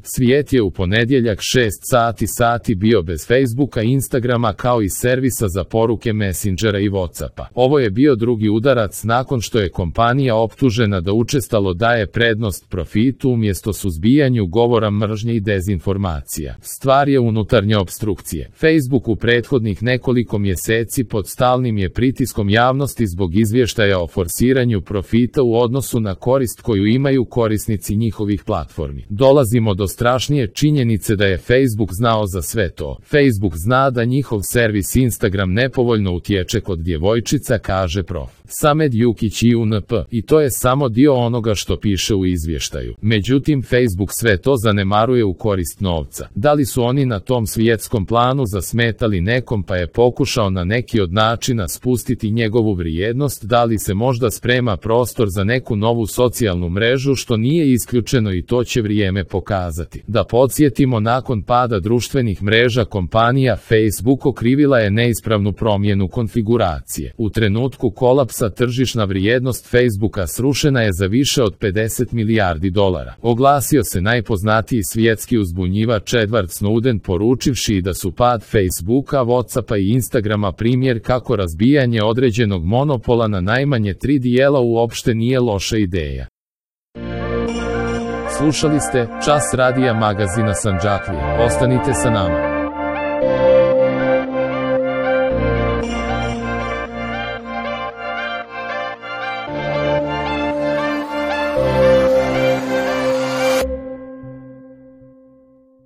Svijet je u ponedjeljak 6 sati bio bez Facebooka, Instagrama kao i servisa za poruke Messengera i Whatsappa. Ovo je bio drugi udarac nakon što je kompanija optužena da učestalo daje prednost profitu umjesto suzbijanju govora mržnje i dezinformacija. Stvar je unutarnje opstrukcije. Facebook u prethodnih nekoliko mjeseci pod stalnim je pritiskom javnosti zbog izvještaja o forsiranju profita u odnosu na korist koju imaju korisnici njihovih platformi. Dolazimo do strašnije činjenice da je Facebook znao za sve to. Facebook zna da njihov servis Instagram nepovoljno utječe kod djevojčica, kaže prof. Samed Jukić i UNP. I to je samo dio onoga što piše u izvještaju. Međutim, Facebook sve to zanemaruje u korist novca. Da li su oni na tom svjetskom planu zasmetali nekom pa je pokušao na neki od načina spustiti njegovu vrijednost, da li se možda sprema prostor za neku novu socijalnu mrežu, što nije isključeno i to će vrijeme pokazati. Da podsjetimo, nakon pada društvenih mreža kompanija Facebook okrivila je neispravnu promjenu konfiguracije. U trenutku kolapsa tržišna vrijednost Facebooka srušena je za više od 50 milijardi dolara. Oglasio se najpoznatiji svjetski uzbunjivač Edward Snowden, poručivši da su pad Facebooka, Whatsappa i Instagrama primjer kako razbijanje određenog monopola na najmanje 3 dijela uopšte nije loša ideja. Slušali ste Čas radija magazina Sandžaklije. Ostanite sa nama.